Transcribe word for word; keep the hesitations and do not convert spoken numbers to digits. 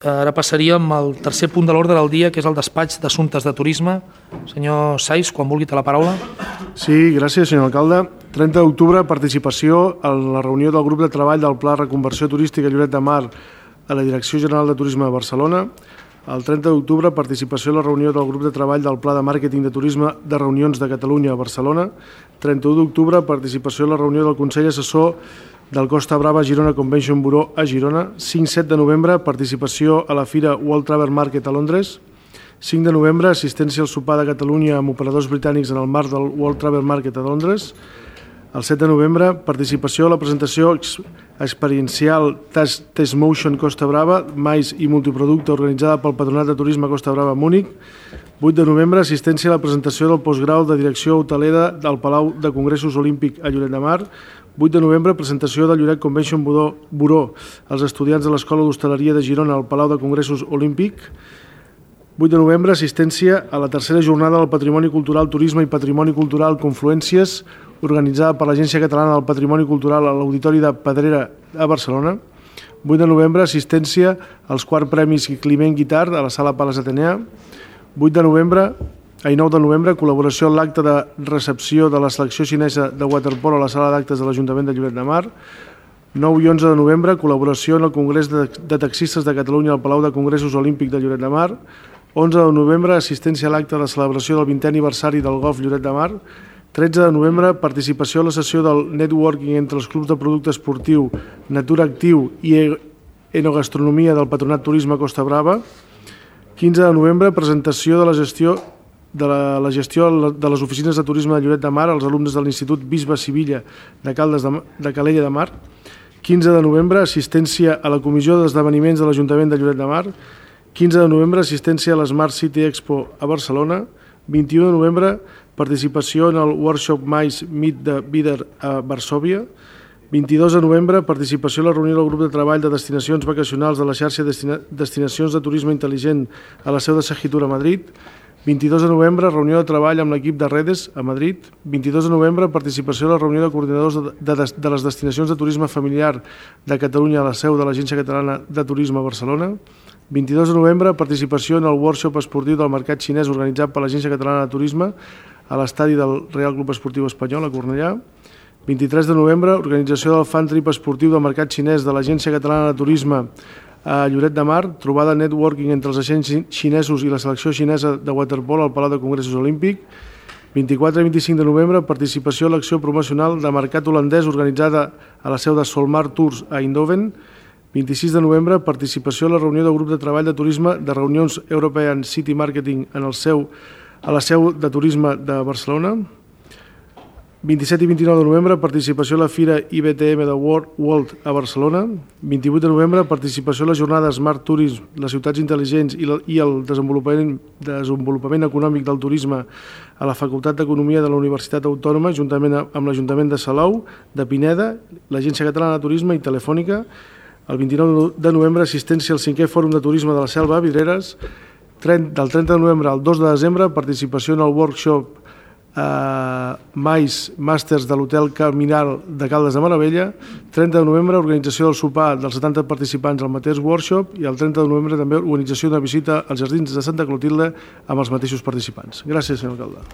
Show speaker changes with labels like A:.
A: Ara passaríem al tercer punt de l'ordre del dia, que és el despatx d'assumptes de turisme. Senyor Saiz, quan vulgui té la paraula.
B: Sí, gràcies, senyor alcalde. trenta d'octubre, participació en la reunió del grup de treball del Pla Reconversió Turística Lloret de Mar a la Direcció General de Turisme de Barcelona. El trenta d'octubre, participació en la reunió del grup de treball del Pla de Màrqueting de Turisme de Reunions de Catalunya a Barcelona. trenta-u d'octubre, participació en la reunió del Consell Assessor del Costa Brava Girona Convention Bureau a Girona. cinc set de novembre, participació a la Fira World Travel Market a Londres. cinc de novembre, assistència al sopar de Catalunya amb operadors britànics en el marc del World Travel Market a Londres. El set de novembre, participació a la presentació experiencial Test Motion Costa Brava, mais i multiproducte organitzada pel Patronat de Turisme Costa Brava a Múnich. vuit de novembre, assistència a la presentació del postgrau de direcció hotelera del Palau de Congressos Olímpic a Lloret de Mar. vuit de novembre, presentació del Lloret Convention Bureau als estudiants de l'Escola d'Hostaleria de Girona al Palau de Congressos Olímpic. vuit de novembre, assistència a la tercera jornada del Patrimoni Cultural, Turisme i Patrimoni Cultural Confluències, organitzada per l'Agència Catalana del Patrimoni Cultural a l'Auditori de Pedrera a Barcelona. vuit de novembre, assistència als quarts premis Climent Guitart a la Sala Pales Atenea. vuit de novembre, i nou de novembre, col·laboració en l'acte de recepció de la selecció xinesa de waterpolo a la Sala d'Actes de l'Ajuntament de Lloret de Mar. nou i onze de novembre, col·laboració en el Congrés de Taxistes de Catalunya al Palau de Congressos Olímpic de Lloret de Mar. onze de novembre, assistència a l'acte de celebració del vintè aniversari del Golf Lloret de Mar. tretze de novembre, participació a la sessió del networking entre els clubs de producte esportiu, Natura Actiu i Enogastronomia del Patronat Turisme Costa Brava. quinze de novembre, presentació de la gestió de la, la gestió de les oficines de turisme de Lloret de Mar als alumnes de l'Institut Bisbe Sivilla de, Caldes de, de Calella de Mar. quinze de novembre, assistència a la Comissió d'Esdeveniments de l'Ajuntament de Lloret de Mar. quinze de novembre, assistència a l'Smart City Expo a Barcelona. vint-i-u de novembre, participació en el workshop Mais Meet de Bider a Varsòvia. vint-i-dos de novembre, participació en la reunió del grup de treball de destinacions vacacionals de la xarxa Destina Destinacions de Turisme Intel·ligent a la seu de Segitur a Madrid. vint-i-dos de novembre, reunió de treball amb l'equip de Redes a Madrid. vint-i-dos de novembre, participació en la reunió de coordinadors de, de, de les destinacions de turisme familiar de Catalunya a la seu de l'Agència Catalana de Turisme a Barcelona. vint-i-dos de novembre, participació en el workshop esportiu del mercat xinès organitzat per l'Agència Catalana de Turisme a l'estadi del Real Club Esportiu Espanyol a Cornellà. vint-i-tres de novembre, organització del fan trip esportiu del mercat xinès de l'Agència Catalana de Turisme a Lloret de Mar, trobada networking entre els agents xinesos i la selecció xinesa de waterpolo al Palau de Congressos Olímpic. vint-i-quatre i vint-i-cinc de novembre, participació a l'acció promocional de mercat holandès organitzada a la seu de Solmar Tours a Eindhoven. vint-i-sis de novembre, participació a la reunió del grup de treball de turisme de reunions European City Marketing en el seu, a la seu de turisme de Barcelona. vint-i-set i vint-i-nou de novembre, participació a la Fira I B T M de World, World a Barcelona. vint-i-vuit de novembre, participació a la jornada Smart Tourism, les ciutats intel·ligents i, la, i el desenvolupament, desenvolupament econòmic del turisme a la Facultat d'Economia de la Universitat Autònoma, juntament amb l'Ajuntament de Salou, de Pineda, l'Agència Catalana de Turisme i Telefònica. El vint-i-nou de novembre, assistència al cinquè Fòrum de Turisme de la Selva a Vidreres. Del trenta de novembre al dos de desembre, participació en el workshop eh, Mais Màsters de l'Hotel Caminal de Caldes de Maravella. trenta de novembre, organització del sopar dels setanta participants al mateix workshop, i el trenta de novembre també organització d'una visita als Jardins de Santa Clotilde amb els mateixos participants. Gràcies, senyor alcalde.